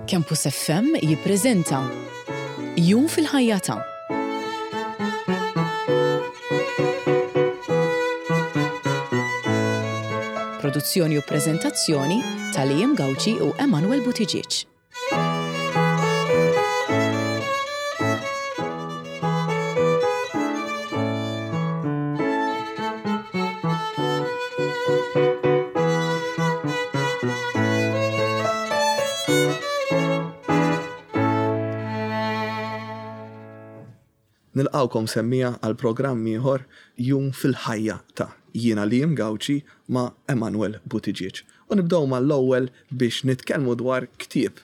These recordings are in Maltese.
Campus FM jippreżenta Jum fil-ħajja ta' Produzzjoni u preżentazzjoni ta' Liam Gauci u Emanuel Buttigieg. Nilqgħukom semmiegħa għal programm ieħor Jum fil-ħajja ta' Jiena Liam Gauci ma' Emanuel Buttigieg. U nibdew mal-ewwel biex nitkellmu dwar ktieb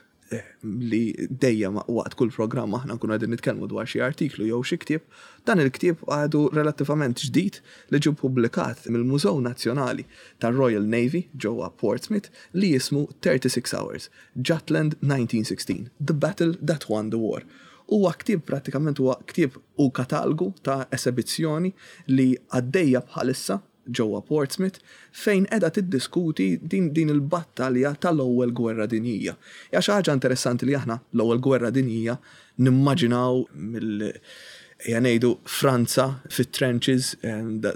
li dejjem waqt kull programm aħna nkunu qegħdin nitkellmu dwar xi artiklu jew xi ktieb. Dan il-ktieb għadu relattivament ġdid li ġie ppubblikat mill-Mużew Nazzjonali tar-Royal Navy ġewwa Portsmouth li jismu 36 Hours, Jutland 1916, The Battle That Won the War. Huwa ktieb prattikament huwa ktieb u katalgu ta' esebizzjoni li għaddejja bħalissa ġewwa Portsmouth fejn qiegħda tiddiskuti din din il-battalja tal-Ewwel Gwerra Dinjija. Hija xi ħaġa interessanti li aħna l-Ewwel Gwerra Dinjija nimmaġinaw mill ejja ngħidu Franza fit-trenches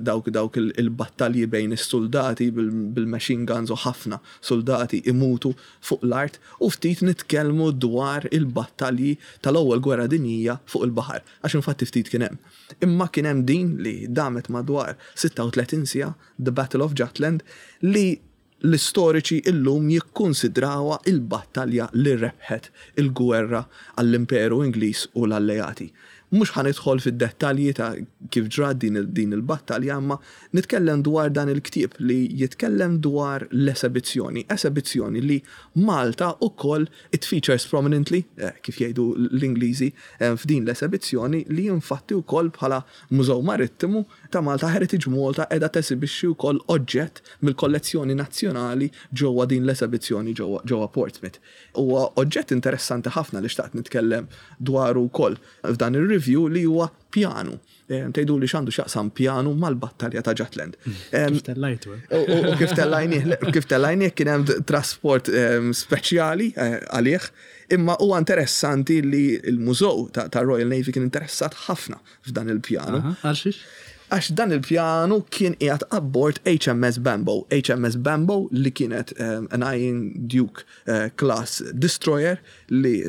dawk dawk il-battalji bejn is-suldati bil-machine guns u ħafna suldati imutu fuq l-art u ftit nitkellmu dwar il-battalji tal-Ewwel Gwerra Dinjija fuq il-baħar għax infatti ftit kien hemm. Imma kien hemm din li damet madwar 36 siegħa, The Battle of Jutland, li l-istoriċi illum jikkunsidrawha il-battalja li rebħet il-gwerra għall-Imperu Ingliż u l-Alleati. Mhux ħa nidħol fid-dettalji ta' kif ġrat din din il-battalja imma nitkellem dwar dan il-ktieb li jitkellem dwar l-esebizzjoni, esebizzjoni li Malta ukoll It features prominently, kif jgħidu l-Ingliżi, f'din l-esebizzjoni li infatti wkoll bħala Mużew Marittimu ta' Malta Heritage Malta qiegħda tesibixxi wkoll oġġett mill-kollezzjoni nazzjonali ġewwa din l-esebizzjoni ġewwa Portsmouth. Huwa oġġett interessanti ħafna li xtaqt nitkellem dwaru wkoll f'dan ir-review li huwa pjanu. Tgħiduli x'għandu x'jaqsam pjanu mal-battalja ta' Jutland. Kif tellajtu? Eh? U kif tellajnieh, kif tellajnieh kien hemm trasport speċjali eh, għalih, imma huwa interessanti li l-mużew ta' Royal Navy kien interessat ħafna f'dan il-pjanu. Għalxiex? Għax dan il-pjanu kien qiegħed abbord HMS Bambo. HMS Bambo li kienet an Iron Duke eh, class destroyer li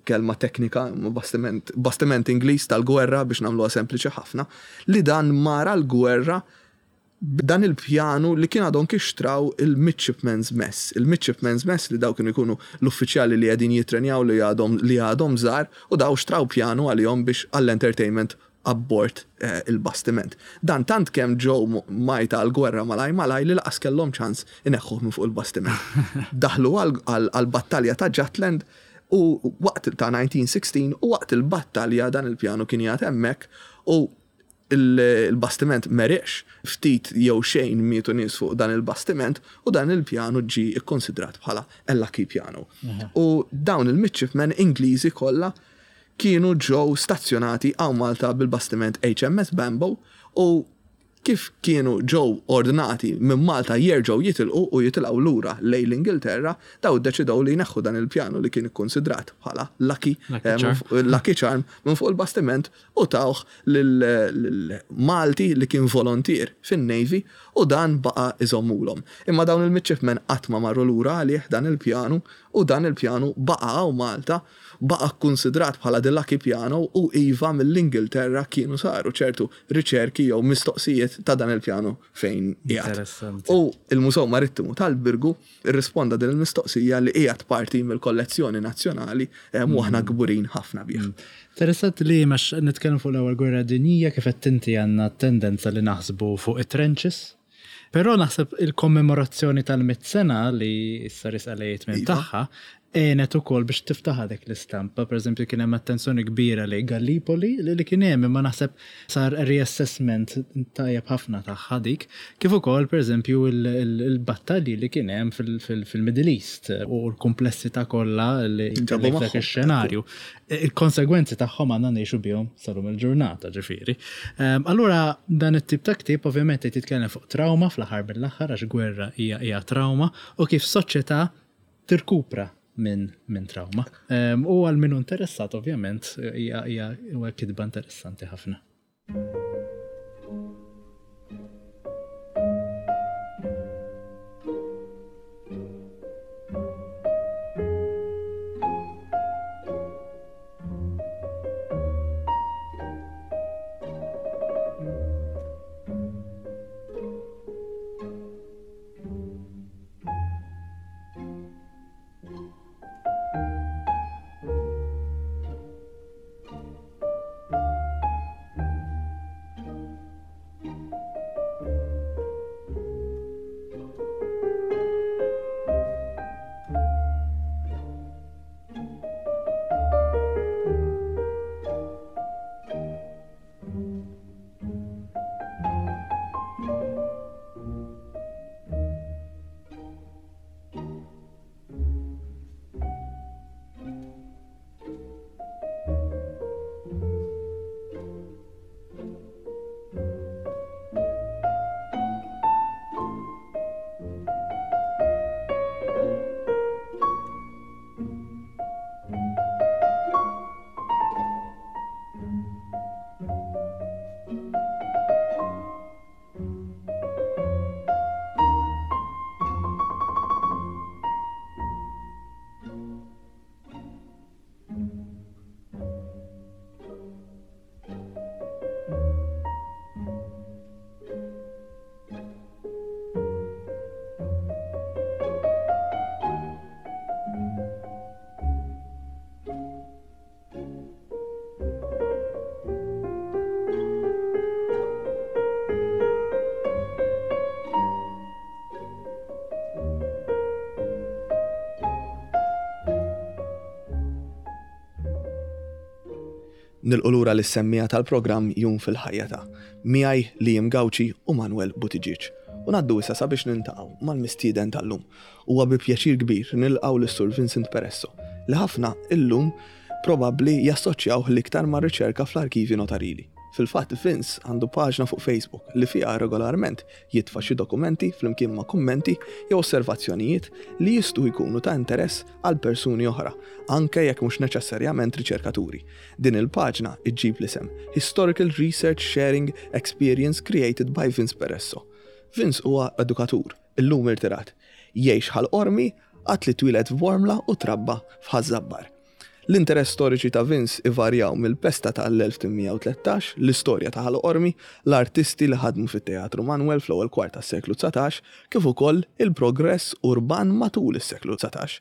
kelma teknika, imma bastiment, bastiment Ingliż tal-gwerra biex nagħmluha sempliċi ħafna, li dan mar għall-gwerra b'dan il-pjanu li kien għadhom kif xtraw il-Midshipmen's Mess. Il-Midshipmen's Mess li daw kienu jkunu l-uffiċjali li qegħdin jittrenjaw li għadhom li għadhom żgħar u daw xtraw pjanu għalihom biex għall-entertainment abbord il-bastiment. Dan tant kemm ġew mgħajta għall-gwerra malajr malajr li lanqas kellhom ċans ineħħuh minn fuq il-bastiment. Daħlu għall-battalja ta' Jutland u waqt ta' 1916 u waqt il-battalja dan il-pjanu kien qiegħed hemmhekk u l-bastiment m'għeriqx, ftit jew xejn mietu nies fuq dan il-bastiment u dan il-pjanu ġie kkunsidrat bħala a lucky piano. U dawn il-midshipmen Ingliżi kollha kienu ġew stazzjonati hawn Malta bil-bastiment HMS Bambo u kif kienu ġew ordnati minn Malta jerġgħu jitilqu u jitilgħu lura lejn l-Ingilterra, daw iddeċidew li jneħħu dan il-pjanu li kien ikkunsidrat bħala lucky lucky charm minn fuq il-bastiment u tawh lil Malti li kien volontier fin-Navy u dan baqa' iżommulhom. Imma dawn il-midshipmen qatt ma marru lura għalih dan il-pjanu u dan il-pjanu baqa' hawn Malta Baqa' kkunsidrat bħala the lucky piano u iva mill-Ingilterra kienu saru ċertu riċerki jew mistoqsijiet ta' dan il-pjanu fejn qiegħed. Interessanti. U l-Mużew Marittimu tal-Birgu rrisponda din il-mistoqsija li qiegħed parti mill-kollezzjoni nazzjonali u aħna kburin ħafna bih. Interessanti li għax nitkellmu fuq l-Ewwel Gwerra Dinjija kif għedt inti għandna t-tendenza li naħsbu fuq it-trenches. Però naħseb il-kommemorazzjoni tal-mitt sena li issa risqa lejn it-tmiem iva. tagħha għenet ukoll biex tiftaħ dik l-istampa. Per eżempju kien hemm attenzjoni kbira li Gallipoli li kien hemm imma naħseb sar reassessment tajjeb ħafna tagħha dik. Kif ukoll per eżempju il-battalji li kien hemm fil-Middle East u l-komplessità kollha li dak ix-xenarju. Il-konsegwenzi tagħhom għandna ngħixu bihom sal-lum il-ġurnata, ġifieri. Ehm, allura dan it-tip ta' ktieb ovvjament qed jitkellem fuq trauma fl-aħħar mill-aħħar għax gwerra hija hija trauma u kif soċjetà tirkupra minn min trauma. U għal min hu interessat ovvjament hija hija kitba interessanti ħafna. Nilqu lura lis-semmiegħa tal-programm Jum fil-Ħajja ta' miegħi Liam Gauci u Manuel Buttigieg. U ngħaddu issa sabiex niltaqgħu mal-mistieden tal-lum. Huwa bi pjaċir kbir nilqgħu lis-Sur Vincent Peresso, li ħafna illum probabbli jassoċjawh l-iktar mar-riċerka fl-arkivji notarili. Fil-fatt Vince għandu paġna fuq Facebook li fiha regolarment jitfa' xi dokumenti flimkien ma' kummenti jew osservazzjonijiet li jistgħu jkunu ta' interess għal persuni oħra, anke jekk mhux neċessarjament riċerkaturi. Din il-paġna ġġib l-isem Historical Research Sharing Experience Created by Vince Peresso. Vince huwa edukatur, illum irtirat. Jgħix Ħal Qormi, għad li twieled f'Bormla u trabba f'Ħaż-Żabbar. L-interess storiċi ta' Vince ivarjaw mill-pesta ta' l-1813, l-istorja ta' Ħal Qormi, l-artisti li ħadmu fit-Teatru Manwel fl-ewwel kwart tas-seklu 19, kif ukoll il-progress urban matul is-seklu 19.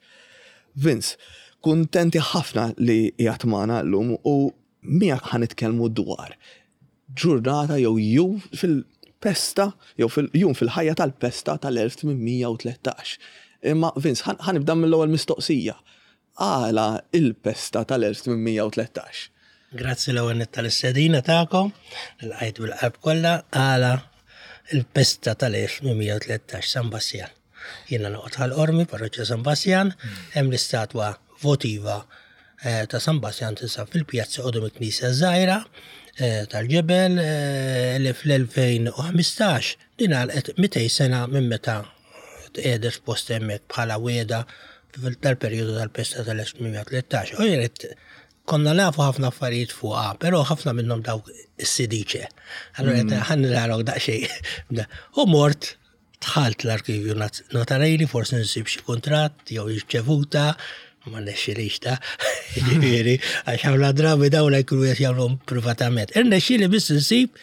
Vince, kuntenti ħafna li qiegħed magħna llum u miegħek ħa nitkellmu dwar ġurnata jew jum fil-pesta jew fil-jum fil-ħajja tal-pesta tal-1813. Imma Vince, ħa nibda mill-ewwel mistoqsija. Għala il-pesta tal-1813? Grazzi l-ewwel nett tal-istedina tagħkom, lqajt bil-qalb kollha għala il-pesta tal-1813 San Bassjan. Jiena noqgħod Ħal Qormi, parroċċa San Bassjan, hemm l-istatwa votiva eh, ta' San Bassjan tinsab fil-pjazza qudiem il-Knisja żgħira eh, tal-ġebel eh, li fl-2015 din għalqet 200 sena minn meta tqiegħdet f'post hemmhekk bħala wiegħda tal-perjodu tal-pesta tal-1813. U jien konna nafu ħafna affarijiet fuqha, però ħafna minnhom dawk is-sidiċe. Allura mm. ħan naraw daqsxejn. U mort dħalt l-arkivju notarili, forsi nsib xi kuntratt jew irċevuta, ma nexxilix ta' ġifieri, għax ħafna drabi dawn jkunu qed jagħmluhom privatament. Irnexxieli biss insib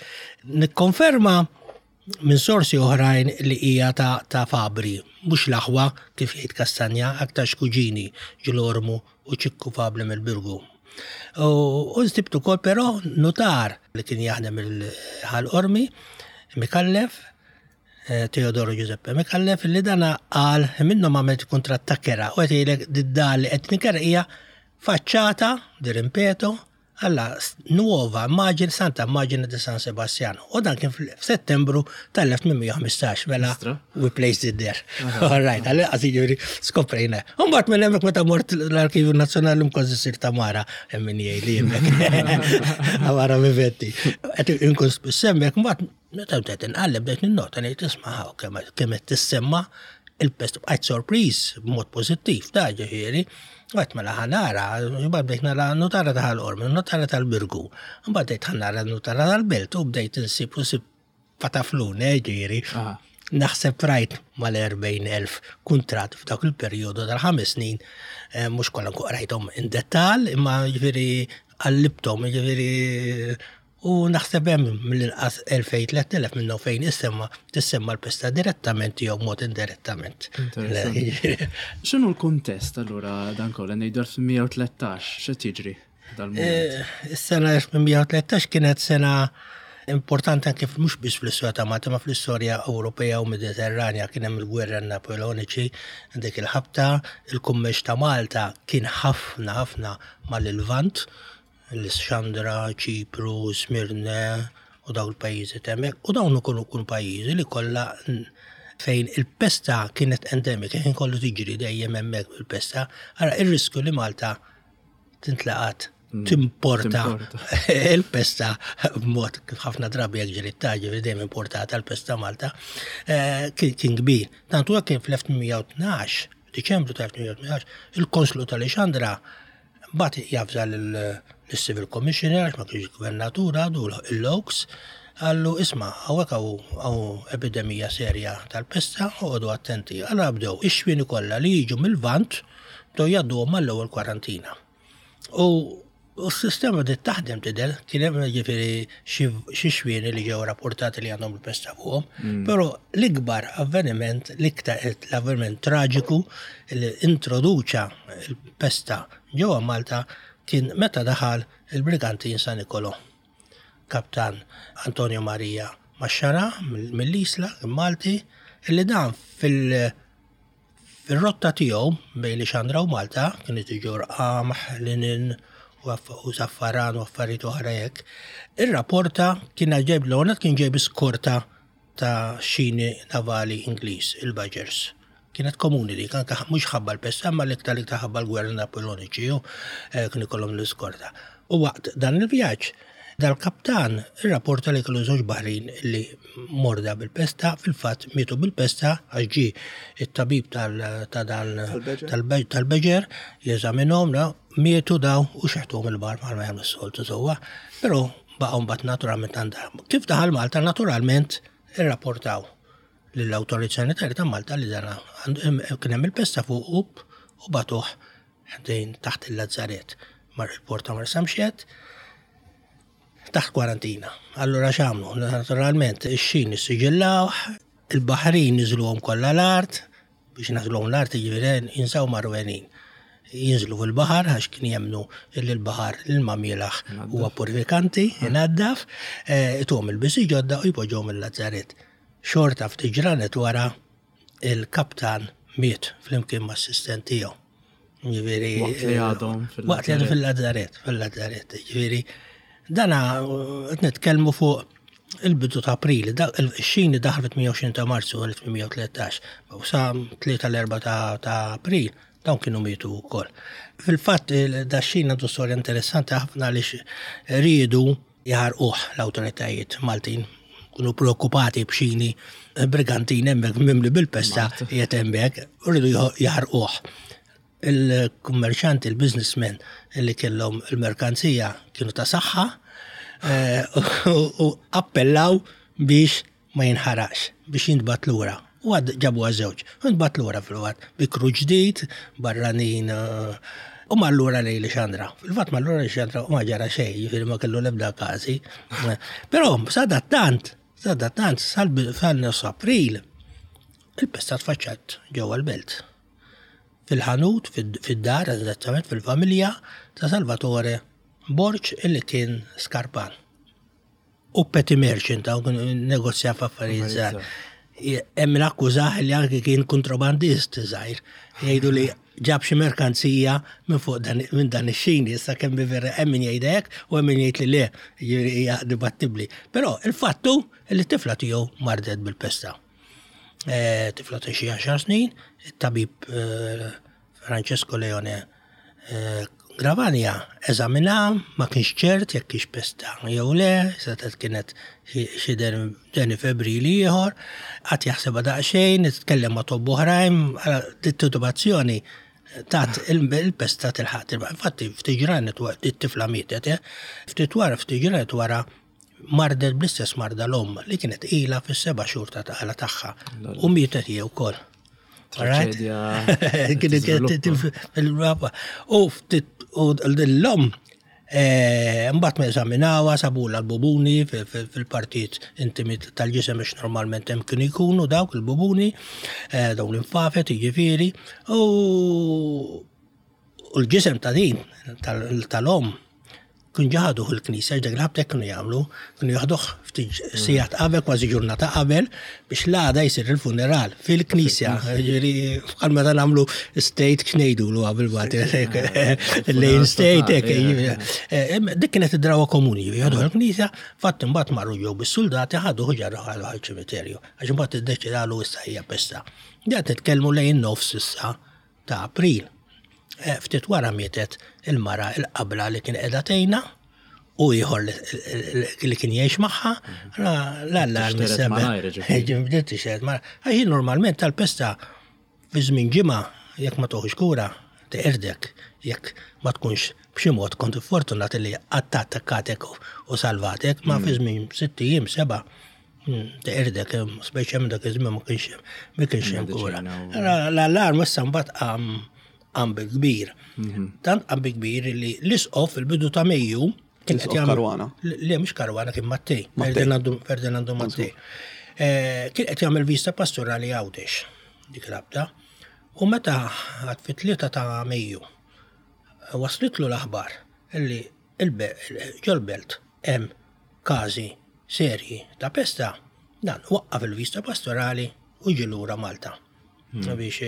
nikkonferma minn sorsi oħrajn li hija ta', ta Fabri, mhux l-aħwa kif jgħid Kastanja, aktarx kuġini Ġilormu u Ċikku Fabri mill-Birgu. U nsibt ukoll però nutar li kien jaħdem il-Ħal Qormi, Mikallef, eh, Teodoro Giuseppe Mikallef, li dana qal minnhom għamilt kuntratt ta' kera u qed jgħidlek did-dar li qed ninkera hija faċċata di rimpeto alla nuova immagine Santa Immagine di San Sebastiano. U dan kien f'Settembru tal-1815, mela we placed it there. All right, għalli għazi ġuri skoprejna. Umbat minn hemmhekk meta mort l-Arkivju Nazzjonali mkważi sir Tamara, hemm min jgħid li hemmhekk. Tamara Vivetti. Qed inkun spiss hemmhekk, mbagħad meta bdejt inqalleb bdejt ninnota ngħid isma' kemm qed tissemma. Il-pest bqajt sorpriż b'mod pożittiv ta' ġifieri. Għedt mela ħa nara, imbagħad bdejt nara nutara ta' Ħal Qormi, nutara tal-Birgu. Imbagħad bdejt ħa nara nutara tal-Belt u bdejt insib u sib pataflun, eh, ġifieri. Naħseb rajt mal-40,000 kuntratt f'dak il-perjodu tal-ħames snin, eh, mhux kollha nkun qrajthom in dettall, imma ġifieri qallibthom, ġifieri U naħseb hemm mill-inqas 2000, 3000 minnhom fejn issemma tissemma l-pesta direttament jew mod indirettament. X'inhu l-kuntest allura dan kollha ngħidu 1813 x'qed jiġri dal-mument? Eh, is-sena 1813 kienet sena importanti anke mhux biss fl-istorja ta' Malta ma fl-istorja Ewropea u Mediterranja kien hemm il-gwerra Napoleoniċi dik il-ħabta, il-kummerċ ta' Malta kien ħafna ħafna mal-Lvant Lissandra, Ċipru, Smirne u dawn il-pajjiżi t'hemmhekk. U dawn ukoll ikunu pajjiżi li kollha fejn il-pesta kienet endemika, kien kollu tiġri dejjem hemmhekk il-pesta. Ara ir-riskju li Malta tintlaqat mm, timporta il-pesta b'mod kif ħafna drabi jekk ġieli taġi dejjem importata l-pesta Malta eh, kien kbir. Tant huwa kien fl-1812, Diċembru tal-1812, il-Konslu tal-Lixandra Mbagħad javża lis-Civil Commissioner għax ma kienx gvernatur għadu l-Oaks, qallu isma' hawnhekk hawn epidemija serja tal-pesta, oqogħdu attenti. Allura bdew ix-xwieni kollha li jiġu mil-Lvant bdew jgħadduhom mal-ewwel kwarantina. U s-sistema bdiet taħdem tidher, kien hemm jiġifieri xi xwieni li ġew rapportati li għandhom il-pesta fuqhom, mm. però l-ikbar avveniment, l-iktar l-avveniment traġiku li introduċa l-pesta ġewwa Malta kien meta daħal il-brigantin San Nicolò. Kaptan Antonio Maria Maxxara mill-Isla, Malti, illi dan fil- fil-rotta tiegħu bejn Lixandra u Malta kien iġorr qamħ, linen u zaffaran u affarijiet oħra hekk. Ir-rapporta kien ġejb l kien ġejb iskorta ta' xini navali Ingliż, il-Badgers. Kienet komuni dik, anke mhux ħabba l-pesta, imma l-iktar l-iktar ħabba l-gwerra Napoleoniċi, u eh, kien ikollhom l-iskorta. U waqt dan il-vjaġġ, dal-kaptan irrapporta li kellu żewġ baħrin li morda bil-pesta, fil-fatt mietu bil-pesta għax ġie it-tabib ta' dan tal-beġer jeżaminhom, mietu daw u xeħtuhom il-bar bħalma jagħmlu s-soltu sewwa. Però baqgħu mbagħad naturalment għandha. Kif daħal Malta naturalment irrapportaw lill-awtorità sanitarja ta' Malta li dana kien hemm il-pesta fuq u batuh ħdejn taħt il-Lazzaret mar il-port ta' Marsamxett taħt kwarantina. Allura x'għamlu? Naturalment ix-xin issiġillawh, il-baħrin niżluhom kollha l-art, biex nażluhom l-art jiġifieri jinsaw marwenin. Jinżlu fil-baħar għax kien jemmnu li l-baħar l-ilma mielaħ huwa purifikanti, inaddaf, eh, ituhom il-bisi ġodda u jpoġġuhom il-lazzaret. Xorta ftit ġranet wara il-kaptan miet flimkien ma' assistent tiegħu. Ġifieri. Waqt li għadhom fil Waqt li għadhom fil-lazzaret, fil-lazzaret. Ġifieri, dana qed nitkellmu fuq il-bidu ta' April, ix-xini daħal fit-28 ta' Marzu 1813, u sa 3 l-4 ta' April, dawn kienu mietu wkoll. Fil-fatt, da xin għandu storja interessanti ħafna għaliex riedu jaħarquh l-awtoritajiet Maltin kienu preokkupati b'xini brigantin hemmhekk mimli bil-pesta qiegħed hemmhekk u rridu jaħarquh. Il-kummerċanti, il-businessmen li kellhom il-merkanzija kienu ta' saħħa eh, u appellaw biex ma jinħaraqx, biex jintbagħat lura. U għad ġabuha żewġ. U ntbagħat lura fil-fatt bi kru ġdid, barranin eh, u mar lura lejn Lixandra. Fil-fatt mar lura Lixandra u ma ġara xejn, jiġifieri ma kellu l-ebda każi. Però sadattant, sadattant sal-nofs April, il-pesta tfaċċat ġewwa l-belt. Fil-ħanut, fid-dar, eżattament fil-familja ta' Salvatore Borg illi kien skarpan. U petty merchant, hawn negozja f'affarijiet żgħar. Hemm min akkużah li anki kien kontrabandist żgħir. Jgħidu li ġab xi merkanzija minn fuq dan minn dan ix-xini, issa kemm vera hemm min jgħid hekk u hemm min jgħid li le, jiġifieri hija dibattibbli. Però il-fatt hu li t-tifla tiegħu mardet bil-pesta. Eh, tifla ta' xi għaxar snin, it-tabib eh, Francesco Leone Gravagna eżaminha, ma kienx ċert jekk hix pesta jew le, setgħet kienet xi deni febbrili ieħor, qagħad jaħsibha daqsxejn, tkellem ma' tobba oħrajn, titubazzjoni tat il-pesta tilħaq tilba. Infatti ftit ġranet wara it-tifla mietet, eh? Ftit wara ftit ġranet wara mardet bl-istess marda l-omm li kienet ilha fis-seba' xhur ta' tqala tagħha u mietet hi wkoll. Traġedja. U ftit u l-omm eh, mbagħad ma eżaminawha sabula l-bubuni fil-partit intimi tal-ġisem biex normalment hemm kienu jkunu dawk il-bubuni, eh, dawn l-infafet jiġifieri, u l-ġisem ta' din tal-omm Kien ġa ħaduh il-knisja, dak il-ħabta hekk kienu jagħmlu, kienu jaħduh ftit sigħat qabel, kważi ġurnata qabel, biex l-għada jsir il-funeral fil-knisja. Ġifieri bħal meta nagħmlu state x'ngħidulu qabel bagħad lejn state hekk. Eh, dik kienet id-drawa komuni, jaħduh il-knisja, fatt imbagħad marru ġew bis-suldati ħaduh ġarruh għal ċimiterju. Għax imbagħad iddeċidalu issa hija pesta. Qed nitkellmu lejn nofs issa ta' April. Eh, ftit wara mietet il-mara il-qabla li kien qiegħda tgħinha u ieħor li kien jgħix magħha, l-allarm Bdiet tixteret malajr. Għax normalment tal-pesta fi żmien ġimgħa jekk ma toħux kura teqirdek jekk ma tkunx b'xi mod kont fortunat li attakkatek u salvatek, ma fi żmien sitt ijiem seba' teqirdek, speċjalment dak iż-żmien ma kienx ma kienx hemm kura. L-allarm issa mbagħad qam qam bil-kbir. Mhm. Tant qam bil-kbir li l-isqof fil-bidu ta' Mejju kien qed jagħmel Karwana. Le mhux Karwana kien Mattei, Ferdinando Mattei. Eh, kien qed jagħmel vista pastorali Għawdex dik rabta. U meta għad fit-tlieta ta' Mejju waslitlu l-aħbar li ġol-belt hemm każi serji ta' pesta, dan waqqaf il-vista pastorali u ġie lura Malta. Hmm. Biex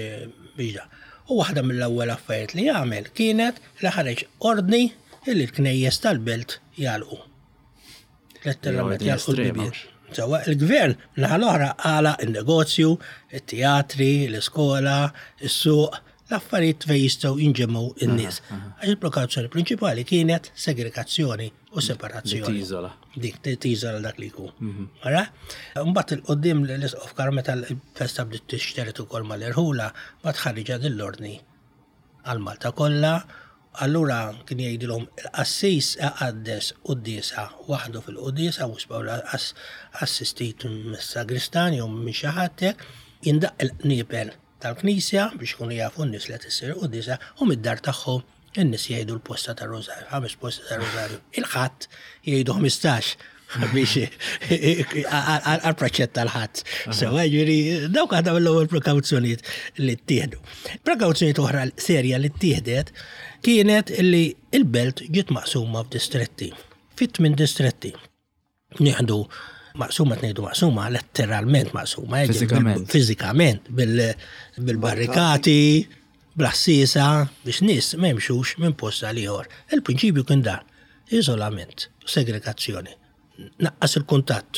biex da. U waħda mill-ewwel affarijiet li għamel kienet li ħareġ ordni li l-knejjes tal-belt jagħlqu. Letteralment jagħlqu l-bibien. Sewa il-gvern naħa l-oħra għala il-negozju, it-teatri, l-iskola, is-suq, l-affarijiet fejn jistgħu jinġemgħu in-nies. Għax il-prekawzjoni prinċipali kienet segregazzjoni u separazzjoni. Li tiżola. Dik, li tiżola dak li jkun. Mhm. Ara? Mbagħad il-qudiem l-isqof Karl meta l-festa bdiet tixteret ukoll mal-irħula, ma tħarriġa din l-ordni għal Malta kollha, allura kien jgħidilhom il-qassis iqaddes quddiesa waħdu fil-quddiesa mhux assistit mis-sagristan jew minn xi ħadd hekk, jindaqq il-qniepel tal-knisja biex ikunu jafu n-nies li qed issir il-quddiesa u mid-dar tagħhom in-nies jgħidu l-posta tar-Rużarju, ħames posti tar-Rużarju. Il-Ħadd jgħidu 15 biex għal-proċett tal-ħadd. Sewa ġifieri dawk għadha mill-ewwel prekawzjonijiet li ttieħdu. Prekawzjonijiet oħra serja li ttieħdet kienet li il-belt ġiet maqsuma f'distretti. Fit-tmien distretti. Nieħdu maqsuma tnejdu maqsuma, letteralment maqsuma. Eh, fizikament. Fizikament, bil-barrikati, bl-assisa, biex nies ma jimxux minn post għal ieħor. Il-prinċipju kien dan, iżolament, segregazzjoni. Naqqas il-kuntatt.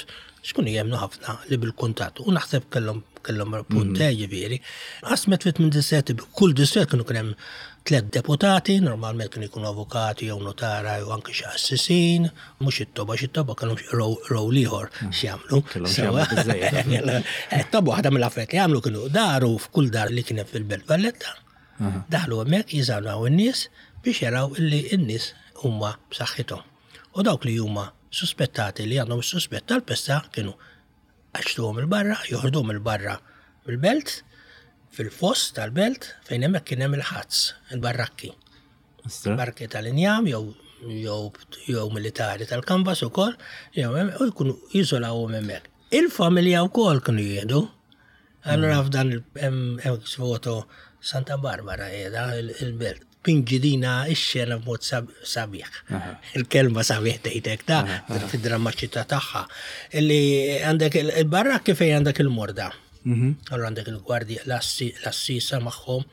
Xkun jemnu ħafna li bil-kuntatt. U naħseb kellhom kellhom punt, mhm. eh, ġifieri. Qasmet fit minn distretti, kull distrett kienu kien hemm tliet deputati, normalment kienu jkunu avukati jew notara jew anke xi qassisin, mhux it-toba, xi toba kellhom rowl ieħor hmm. x'jagħmlu. Eh, toba waħda mill-affarijiet li jagħmlu kienu daru f'kull dar li kien hemm fil-Belt Valletta. Daħlu hemmhekk jiżgħu in-nies biex jaraw illi n-nies huma b'saħħithom. U dawk li huma suspettati li għandhom is-suspett tal-pesta kienu Qaċċtuhom 'il barra, joħorduhom 'il barra mill-belt, fil-foss tal-belt, fejn hemmhekk kien hemm il-ħazz, il-barrakki. Barrakki tal-injam jew jew jew militari tal-kanvas ukoll, jew u jkunu jiżolawhom hemmhekk. Il-familja wkoll kienu jieħdu. Allura f'dan hemm foto Santa Barbara qiegħda il-belt. Tpinġi dina x-xena b'mod sabiħ. Il-kelma sabiħ tgħidek ta' fid-drammaċità tagħha. Illi għandek il-barrakki fejn għandek il-morda. Mhm. Allura għandek il-gwardja l-assisa magħhom,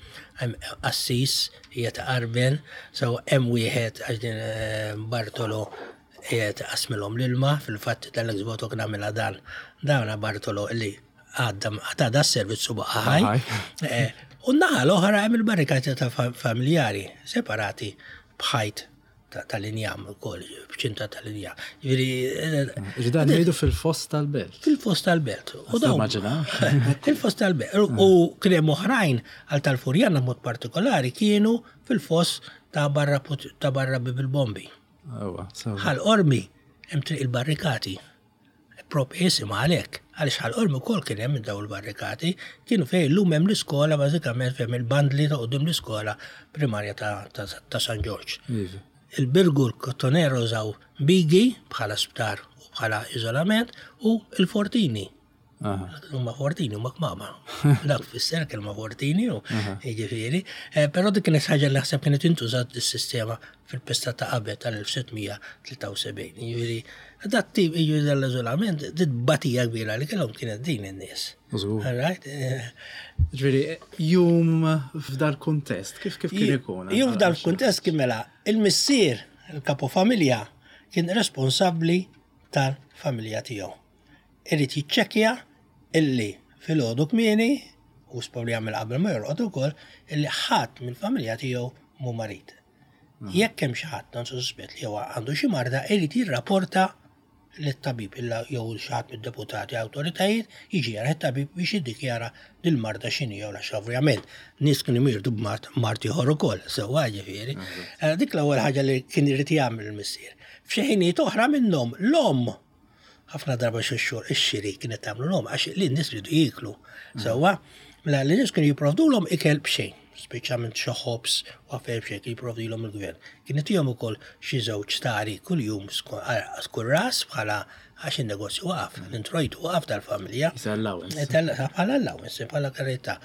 hemm assis hija ta' qarben, so hemm wieħed għax din eh, Bartolo qiegħed qasmilhom l-ilma, fil-fatt tal-ex voto kien għamilha dan. Dawna Bartolo li għadda għadda s-servizz u baqa' ħaj. Eh, U n-naħa l-oħra hemm il-barrikati ta' familjari separati b'ħajt tal-injam ukoll, b'ċinta tal-injam. Ġifieri eh, Dan ngħidu fil-fost tal-belt. Fil-fost tal-belt. U dawn. Fil-fost tal-belt. U kien hemm oħrajn għal tal-Furjana mod partikolari kienu fil-fost ta' barra ta' barra bil-bombi. Ħal Qormi hemm triq il-barrikati. Prop isimha għalhekk, għaliex Ħal Qormi wkoll kien hemm dawn il-barrikati, kienu fejn illum hemm l-iskola bażikament fejn il-bandli ta' quddiem l-iskola primarja ta' San Ġorġ. Iva. Il-Birgu l-Kottonero użaw bigi bħala sptar u bħala iżolament u l-Fortini. Huma fortini, huma kmama. Dak fisser kelma fortini, u jiġifieri. Eh, però dik kienet ħaġa li naħseb kienet intużat is-sistema fil-pesta ta' qabel tal-1673. Jiġifieri, dat tip jiġifieri dal-iżolament, dit batija kbira li kellhom kienet din in-nies. Right? Eh. Ġifieri, jum f'dal kuntest, kif kif kien ikun? Jum f'dal kuntest kien mela, il-missier, il-kapo familja, kien responsabbli tal-familja tiegħu. Irid jiċċekkja illi filgħodu kmieni, u probabbli jagħmel qabel ma jorqod ukoll, illi ħadd mill-familja tiegħu mhu marid. Jekk hemm xi ħadd non suspett li huwa għandu xi marda, irid jirrapporta lit-tabib illa jew xi ħadd mid-deputati awtoritajiet jiġi jara t-tabib biex jiddikjara dil-marda x'inhi jew għax ovvjament nies kienu jmirdu b'mard mard ieħor ukoll, sewwa ġifieri. Eh, dik l-ewwel ħaġa li kien irid jagħmel il-missier. F'xi ħinijiet oħra minnhom l-omm ħafna darba xi xhur ix-xiri kienet tagħmlu l għax li n-nies ridu jieklu. Sewwa, mela li nies kienu jipprovdulhom ikel b'xejn, speċjalment xi ħobż u affarijiet b'xejn kien jipprovdilhom il-gvern. Kien itihom ukoll xi żewġ stari kuljum kull ras bħala għax in-negozju waqaf, l-introjtu waqaf tal-familja. Allowance. Bħala allowance, bħala karità.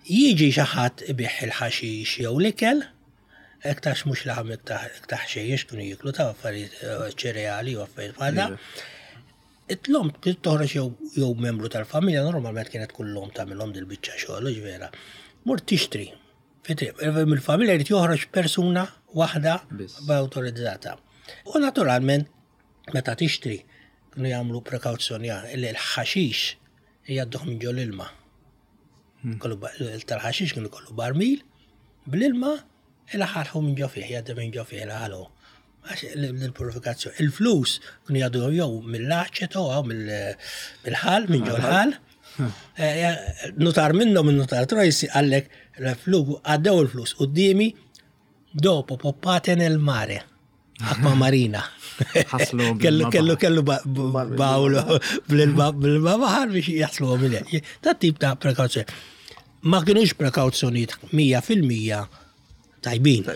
Jiġi xi ħadd ibigħ il-ħaxix jew l-ikel, Iktarx mhux laħam iktar ħxejjex kienu jieklu ta' affarijiet eh, ċereali u affarijiet bħal da. It-lom kien toħroġ jew membru tal-familja normalment kienet kull lom tagħmilhom dil-biċċa xogħol, vera. Mur tixtri. Mill-familja jrid joħroġ persuna waħda b'awtorizzata. U naturalment meta tixtri kienu jagħmlu prekawzjoni li l-ħaxix jgħadduh minn ġol ilma. Hmm. Tal-ħaxix kienu kollu barmil, bl-ilma il-ħalħu minn ġo fih, jgħaddi minn ġo fih il-ħalħu. Għax l-purifikazzjoni. Il-flus kienu jgħaddu jew mill-aċeto jew mill-ħal, minn ġo l-ħal. Hmm. Eh, nutar minnhom min-nutar Trojsi għallek l-flus għaddew il-flus qudiemi dopo poppate nel mare. Aqua marina. Kellu kellu kellu bawlu bl-ilma baħar biex jaslu minn Ta' tip ta' prekawzjoni. Ma kienux prekawzjonijiet 100% tajbin,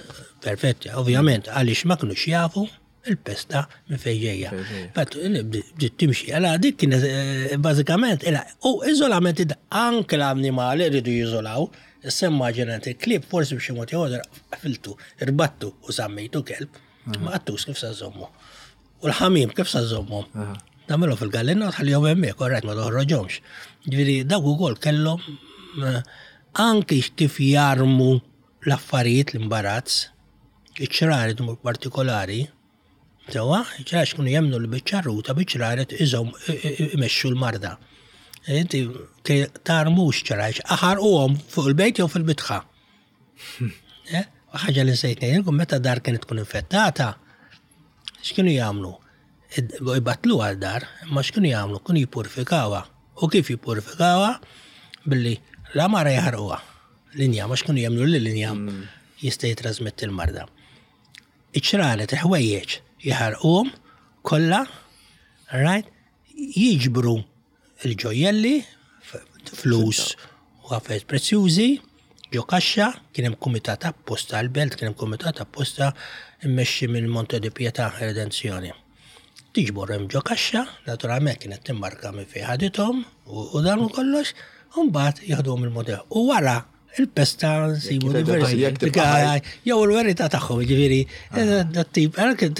perfetti, ovvjament, għaliex ma kienux jafu il-pesta minn fejn ġejja. Fatt bdiet timxi, għala dik kienet eh, bażikament, u iżolament anke l-annimali rridu jiżolaw, Issa immaġina inti klieb forsi b'xi mod jew ieħor qfiltu, irbattu u żammejtu kelb, ma qattus kif sa żommu. U l-ħamiem kif sa żommhom? Tagħmilhom fil-gallina u tħallihom hemmhekk, orajt ma toħroġhomx. Ġifieri dawk ukoll kellhom eh, anki kif jarmu l-affarijiet l-imbarazz, iċ-ċraret partikolari, Sewwa, għax kienu jemmnu li biċ-ċarruta, biċ-ċraret iżomm imexxu l-marda. Inti tarmux ċrajx, aħarquhom fuq il-bejt jew fil-bitħa. Eh, ħaġa li nsejt ngħidilkom meta dar kienet tkun infettata, x'kienu jagħmlu? Ibatlu għal dar, imma x'kienu jagħmlu? Kienu jippurifikawha. U kif jippurifikawha? Billi l-għamara jaħarquha. L-injam, għax kienu jemmnu li l-injam mm. jista' jitrasmetti l-marda. Iċ-ċraret, il-ħwejjeġ jaħarquhom kollha, right? Jiġbru l-ġojjelli, flus u affarijiet prezzjużi, ġo kaxxa, kien hemm kumitat apposta għall-belt, kien hemm kumitat apposta mmexxi minn Monte di Pietà Redenzjoni. Tiġbor hemm ġo kaxxa, naturalment kienet timmarka minn fejn ħadithom u dan u kollox, u mbagħad jieħduhom il-modell. U wara il-pesta nsibu diversi. Jew il-verità tagħhom, ġifieri, eh, dat-tip,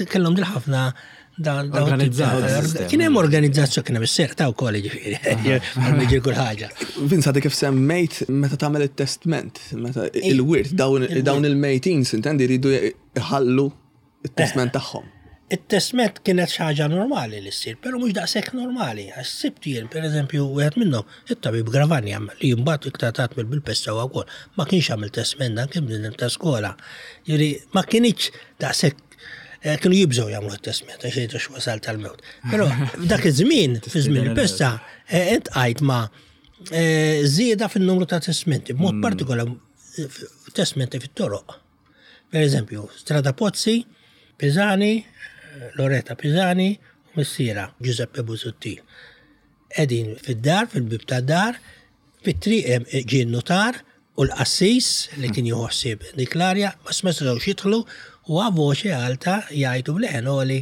kellhom dil ħafna Kien hemm organizzazzjoni kien hemm is-serq ta' wkoll ġifieri. Jiġri kull ħaġa. Vince għadek kif semmejt meta tagħmel it-testment, meta il-wirt dawn il-mejtin sintendi jridu jħallu it-testment tagħhom. It-testment kienet xi ħaġa normali li ssir, però mhux daqshekk normali, għax sibt jien, pereżempju, wieħed minnhom, it-tabib Gravagna, li mbagħad iktar tard miet bil-pesta huwa wkoll, ma kienx għamel testment dan kien bniedem ta' skola. Jiġifieri ma kinitx daqshekk eh, kienu jibżgħu jagħmlu t-testment għax jgħidu x'wasal tal-mewt. Però f'dak iż-żmien, fi żmien il-pesta, eh, intqajt ma' eh, żieda fin-numru ta' testmenti, b'mod mm. partikolari testmenti fit-toroq. Per eżempju, Strada Pozzi, Pisani, Loretta Pisani u missiera Giuseppe Busuttil. Qegħdin fid-dar, fil-bieb tad-dar, fit-triq hemm ġie n-nutar u l-qassis li kien jieħu ħsieb dik l-arja, ma setgħux jidħlu u a voce alta jgħidu b'leħen għoli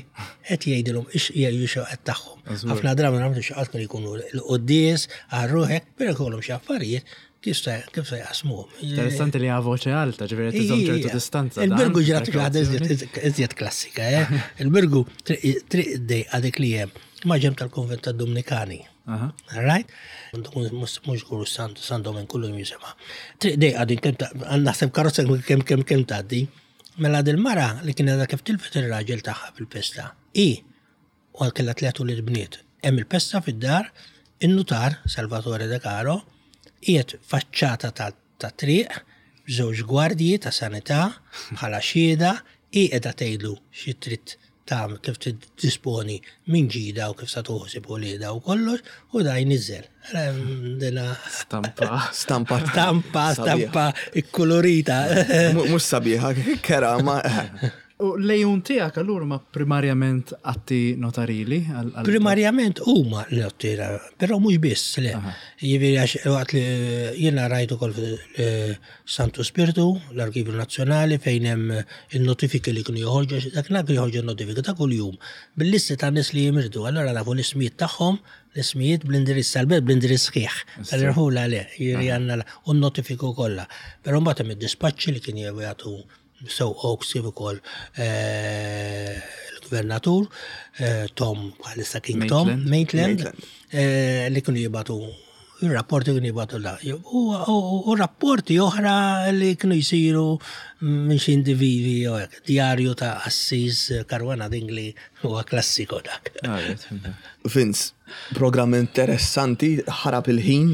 qed jgħidilhom jgħidu xewqat tagħhom. Ħafna drabi nagħmlu xewqat kienu jkunu l-quddies għal ruħek, però jkollhom xi affarijiet Kif se kif se jaqsmuhom? Interessanti li voċe alta, ġifieri qed iżomm ċertu distanza. Il-Birgu ġrat xi ħaġa iżjed klassika, eh? Il-Birgu triq dejqa dik li hemm ma' ġemb tal-Konvent tad-Dumnikani. Right? Mhux żgur San Domen kullu jisema. Triq dejqa din kemm naħseb karozza kemm kemm kemm tgħaddi. Mela dil-mara li kienet kif tilfet ir-raġel tagħha fil-pesta. I u għal kellha tlett ulied bniet. Hemm il-pesta fid-dar, in-nutar, Salvatore De Caro, qiegħed faċċata tat-triq b'żewġ gwardji ta' sanità bħala xhieda, hi qiegħda tgħidlu xi trid tagħmel, kif trid tidisponi minn ġidha u kif sa tieħu ħsieb uliedha u kollox, u da jniżżel. Dina. Stampa. Stampa. Stampa, stampa ikkulurita. Mhux sabiħa, kera ma. U l-għejun tiegħek allura huma primarjament atti notarili? Primarjament huma l-atti, però mhux biss, le. Jiġifieri għax waqt li jiena rajt ukoll Santu Spirtu, l-Arkivju Nazzjonali fejn hemm in-notifiki li kienu joħorġu, għax dak kienu joħorġu n-notifiki ta' kuljum bil-listi ta' nies li jimirdu, allura nafu l-ismijiet tagħhom, l-ismijiet bl-indirizz tal-belt bl-indirizz sħiħ, tal-irħula le, jiġifieri għandna u n-notifiku kollha. Però mbagħad hemm id-dispaċċi li kien jagħtu sew Oaks kif ukoll eh, l-gvernatur eh, Tom bħalissa King Tom Maitland eh, li kienu jibatu il-rapporti kienu jibatu la. U rapporti oħra li kienu jisiru minn xi individwi jew hekk. Djarju ta' Assis Caruana Dingli huwa klassiku dak. Ah, Vince, programm interessanti, ħarab il-ħin,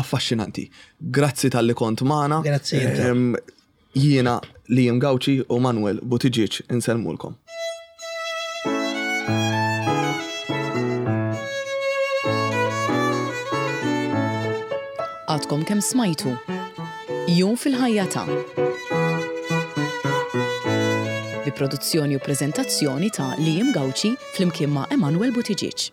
affaxxinanti. Grazzi talli kont magħna. Grazzi. Jiena Liam Gauci u Manuel Buttigieg insellmulkom. Għadkom kemm smajtu Jum fil-ħajja ta' bi produzzjoni u preżentazzjoni ta' Liam Gauci flimkien ma' Emanuel Buttigieg.